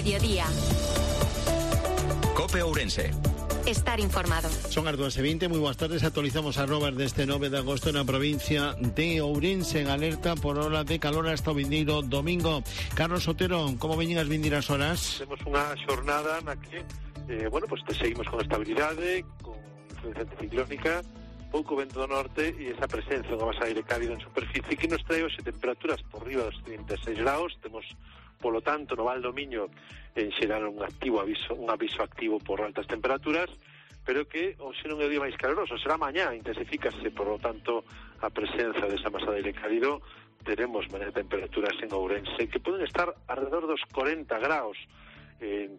mediodía. COPE Ourense. Estar informado. Son as 2:20, moi boas tardes. Actualizamos as novas deste 9 de agosto na provincia de Ourense, en alerta por ola de calor hasta o vindeiro domingo. Carlos Otero, como veñen as vindeiras horas? Temos unha xornada na que, seguimos con estabilidade, con influencia anticiclónica, pouco vento do norte e esa presencia dunha masa de aire cálido en superficie que nos trae hoxe temperaturas por riba dos 36 graus. Temos, polo tanto, no Val do Miño en xeral un aviso activo por altas temperaturas, pero que hoxe non é o día máis caloroso, será mañá, intensifícase, por lo tanto, a presenza desa masa de aire cálido. Teremos mañá temperaturas en Ourense que poden estar alrededor dos 40 graus,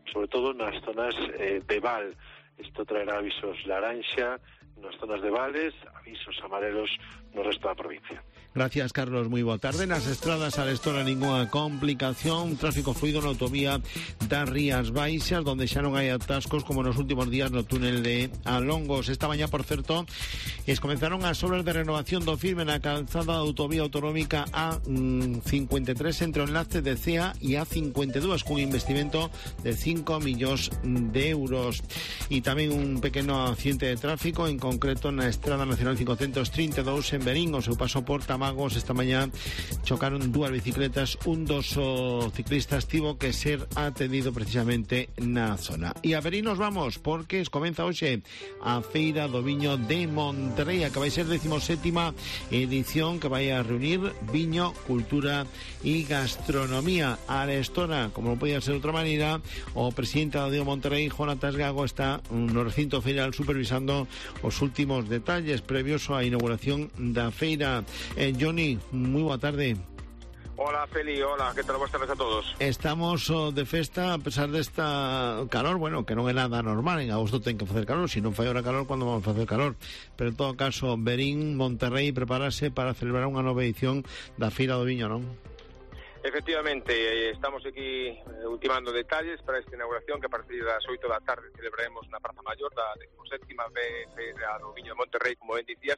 sobre todo nas zonas de Val. Isto traerá avisos laranxa nas zonas de Vales, avisos amarelos no resto da provincia. Gracias, Carlos. Moi boa tarde. Nas estradas arestora ninguna complicación. Tráfico fluido na autovía das Rías Baixas, donde xa non hai atascos como nos últimos días no túnel de Alongos. Esta mañá, por certo, comenzaron as obras de renovación do firme na calzada da autovía autonómica A53 entre o enlace de CEA e A52, cun investimento de 5 millóns de euros. E tamén un pequeno accidente de tráfico, en concreto na Estrada Nacional 532 en Verín. O seu paso por Tamagos esta mañá chocaron dúas bicicletas. Un dos ciclistas tivo que ser atendido precisamente na zona. E a Verín nos vamos, porque comeza hoxe a Feira do Viño de Monterrei, que vai ser 17ª edición, que vai a reunir viño, cultura e gastronomía. A arestora, como non podía ser de outra maneira, o presidente da DEO Monterrei, Jonatas Gago, está no recinto feiral supervisando os últimos detalles previos á inauguración da feira. Johnny, moi boa tarde. Hola, Feli, hola, que tal? Boas tardes a todos. Estamos de festa a pesar desta calor, bueno, que non é nada normal. En agosto ten que facer calor, se non fai ahora calor, cando vamos a facer calor? Pero en todo caso, Verín, Monterrei, prepárase para celebrar unha nova edición da Feira do Viño, non? Efectivamente, estamos aquí ultimando detalles para esta inauguración, que a partir das 8 da tarde celebraremos na Praza Maior da 17ª Feira do Viño de Monterrei, como ben dicías.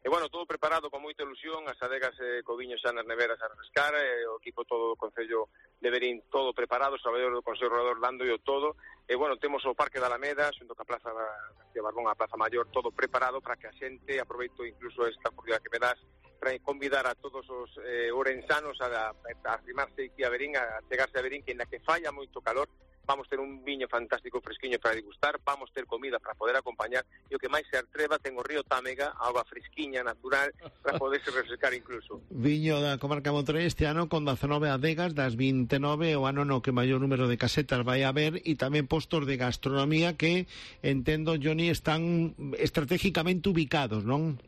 E, bueno, todo preparado con moita ilusión, as adegas co viño xa nas neveras a refrescar, o equipo todo do Concello de Verín todo preparado, os traballadores do Consello Regulador dando o todo. E, bueno, temos o Parque da Alameda, xunto ca Plaza García Barbón, a Plaza Maior, todo preparado para que a xente, aproveito incluso esta oportunidade que me das, para convidar a todos os ourensanos a arrimarse aquí a Verín, a chegarse a Verín, que na que falla moito calor, vamos ter un viño fantástico, fresquiño para degustar, vamos ter comida para poder acompañar, e o que máis se atreva, ten o río Támega, auga fresquiña, natural, para poderse refrescar incluso. Viño da comarca Monterrei este ano con 19 adegas das 29, o ano no que maior número de casetas vai haber, e tamén postos de gastronomía que, entendo, Johnny, están estratégicamente ubicados, non?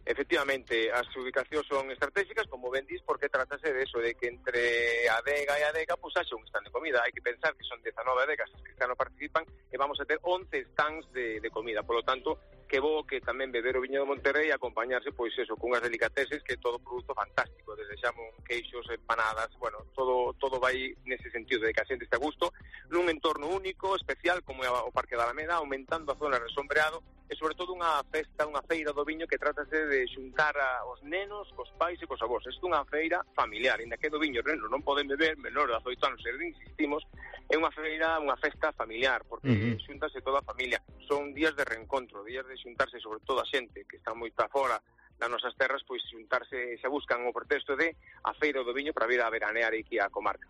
Efectivamente, as ubicacións son estratégicas, como ben dis, porque tratase de eso, de que entre adega e adega pues haxa un stand de comida. Hai que pensar que son 19 adegas as que no participan e vamos a ter 11 stands de comida. Por lo tanto, que bo que tamén beber o viño de Monterrei e acompañarse, pois eso, cunhas delicateses, que é todo produto fantástico, desde xamón, queixos, empanadas, bueno, todo vai nese sentido de que a xente está a gusto, nun entorno único, especial, como é o Parque da Alameda, aumentando a zona de resombreado, e sobre todo unha festa, unha feira do viño que trátase de xuntar aos nenos, cos pais e cos avós. Isto é unha feira familiar, inda que do viño os nenos non poden beber, menor de 18 anos, insistimos, é unha feira, unha festa familiar, porque xuntase toda a familia. Son días de reencontro, días de xuntarse, sobre todo a xente que está moi para fora das nosas terras, pois xuntarse, se buscan o pretexto de a feira do viño para vir a veranear aquí a comarca.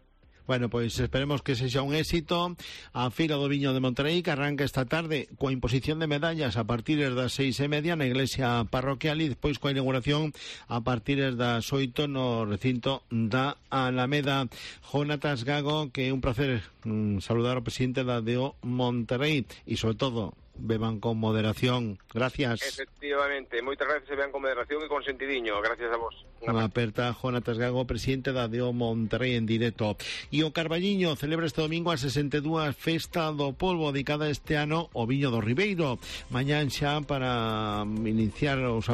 Bueno, pois esperemos que sexa un éxito a Feira do Viño de Monterrei, que arranca esta tarde coa imposición de medallas a partir das 6:30 na iglesia parroquial, e despois coa inauguración a partir das 8 no recinto da Alameda. Jonatas Gago, que é un placer saludar ao presidente da DEO Monterrei, e sobre todo beban con moderación. Gracias. Efectivamente, moitas gracias, beban con moderación e con sentidiño. Gracias a vos. Unha aperta, Jonatas Gago, presidente da DEO Monterrei en directo. E o Carballiño celebra este domingo a 62 Festa do Polvo, dedicada este ano ao viño do Ribeiro. Mañán xa para iniciar os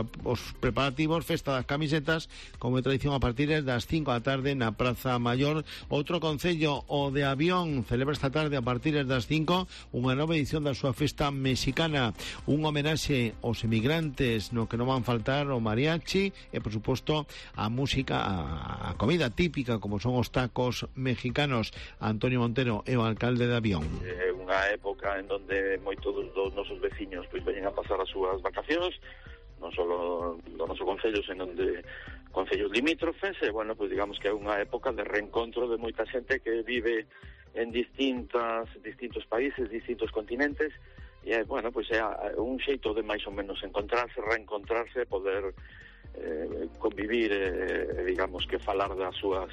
preparativos, festa das camisetas, como é tradición, a partir das 5 da tarde na Praza Maior. Outro concello, o de Avión, celebra esta tarde a partir das 5 unha nova edición da súa festa mexicana, un homenaxe aos emigrantes no que non van faltar o mariachi e, por suposto, a música, a comida típica como son os tacos mexicanos. Antonio Montero é o alcalde de Avión. É unha época en donde moitos dos nosos veciños pois veñen a pasar as súas vacacións, non só do noso concello, senón de concellos limítrofes, e, bueno, pois digamos que é unha época de reencontro de moita xente que vive en distintos países, distintos continentes, e, bueno, pois é un xeito de máis ou menos encontrarse, reencontrarse, poder convivir, digamos que falar das súas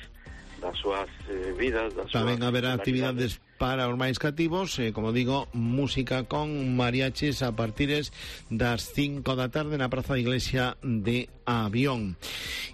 vidas, tamén haberá actividades para os máis cativos, como digo, música con mariachis a partir das 5 da tarde na Praza da Iglesia de Avión.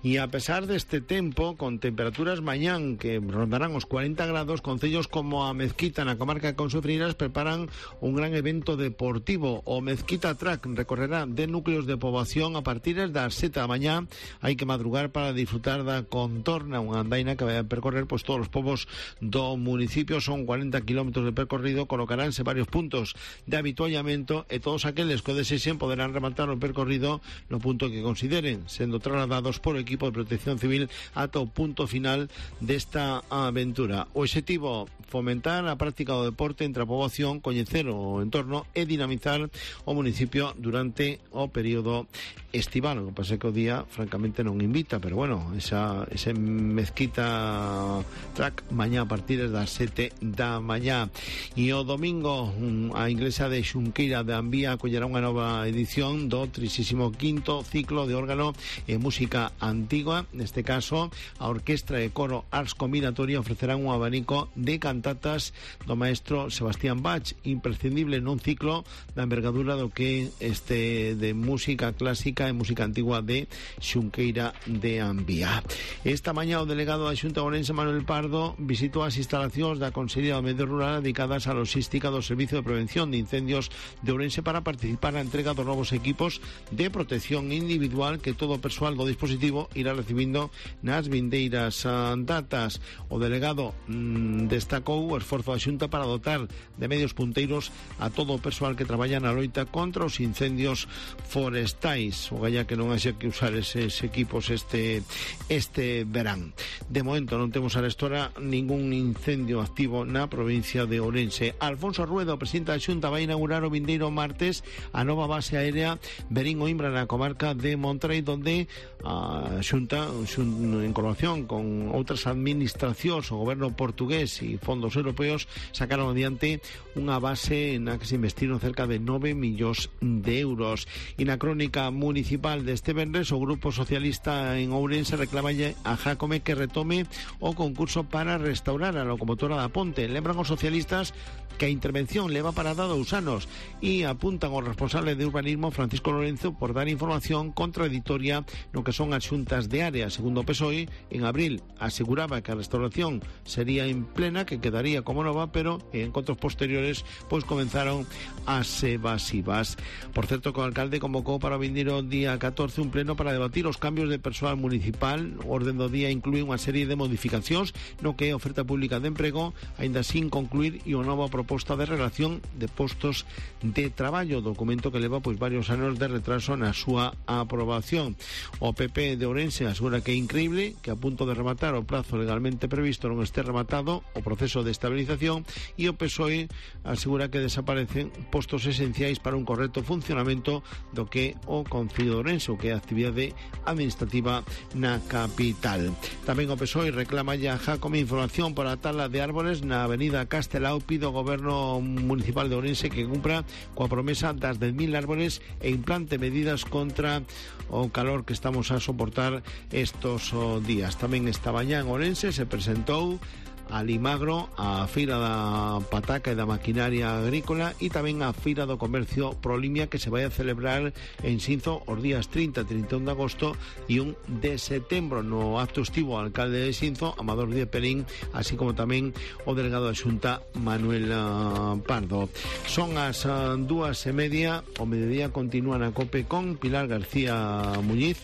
E a pesar deste tempo, con temperaturas mañán que rondarán os 40 grados, concellos como a Mezquita na comarca de Consofreiras preparan un gran evento deportivo. O Mezquita Track recorrerá de núcleos de poboación a partir das 7 da mañá. Hai que madrugar para disfrutar da contorna, unha andaina que vai a percorrer pois todos os povos do municipio. Son 40 kilómetros de percorrido, colocaránse varios puntos de habituallamento e todos aqueles que o desexen poderán rematar o percorrido no punto que consideren, sendo trasladados por equipo de protección civil ata o punto final desta aventura. O objetivo, fomentar a práctica do deporte entre a poboación, coñecer o entorno e dinamizar o municipio durante o período estival. O que pasa é que o día francamente non invita, pero bueno, ese Mezquita Track mañá a partir das 7 da mañá. E o domingo a Iglesia de Xunqueira de Ambía acollerá unha nova edición do 35º ciclo de órgano e música antigua. Neste caso, a Orquestra e Coro Ars Combinatoria ofrecerán un abanico de cantatas do maestro Sebastián Bach, imprescindible nun ciclo da envergadura do que este de música clásica e música antigua de Xunqueira de Ambía. Esta mañá o delegado da Xunta Ourense, Manuel Pardo, visitou as instalacións da Consellería do Medio Rural dedicadas á logística do Servicio de Prevención de Incendios de Ourense para participar na entrega dos novos equipos de protección individual que todo o persoal do dispositivo irá recibindo nas vindeiras datas. O delegado destacou o esforzo da Xunta para dotar de medios punteiros a todo o persoal que traballa na loita contra os incendios forestais. O galla que non haxe que usar eses equipos este verán. De momento non temos arestora ningún incendio activo na provincia de Ourense. Alfonso Rueda, o presidente da Xunta, vai inaugurar o vindeiro martes a nova base aérea Verín o Imbra na comarca de Monterrey, donde a Xunta, en colaboración con outras administracións, o goberno portugués e fondos europeos, sacaron adiante unha base na que se investiron cerca de 9 millóns de euros. E na crónica municipal deste venres, o Grupo Socialista en Ourense reclamalle a Jácome que retome o concurso para restaurar a locomotora da Ponte. Lembran os socialistas que a intervención leva parada 2 anos e apuntan ao responsable de urbanismo, Francisco Lorenzo, por dar información contradictoria no que son as xuntas de área. Segundo o PSOE, en abril aseguraba que a restauración sería en plena, que quedaría como nova, pero en encontros posteriores pois comenzaron as evasivas. Por certo, que o alcalde convocou para o vindeiro día 14 un pleno para debatir os cambios de persoal municipal. O orden do día inclúe unha serie de modificacións no que é oferta pública de emprego, aínda sin concluir, e unha nova proposta de relación de postos de traballo, documento que leva pois varios anos de retraso na súa aprobación. O PP de Ourense asegura que é increíble que a punto de rematar o plazo legalmente previsto non este rematado o proceso de estabilización, e o PSOE asegura que desaparecen postos esenciais para un correcto funcionamento do que o Concello de Ourense, o que é a actividade administrativa na capital. Tamén o PSOE reclama ya a Jácome información para a tala de árboles na avenida Castelao. Pide ao goberno municipal de Ourense que cumpra coa promesa das 10.000 árboles e implante medidas contra o calor que estamos a soportar estos días. Tamén esta mañá en Ourense se presentou a Limagro, a Feira da Pataca e da Maquinaria Agrícola e tamén a Feira do Comercio Prolimia, que se vai a celebrar en Xinzo os días 30 e 31 de agosto e 1 de setembro. No acto estivo o alcalde de Xinzo, Amador Díaz Perín, así como tamén o delegado da Xunta, Manuel Pardo. Son as 2:30, o mediodía continúa na COPE con Pilar García Muñiz.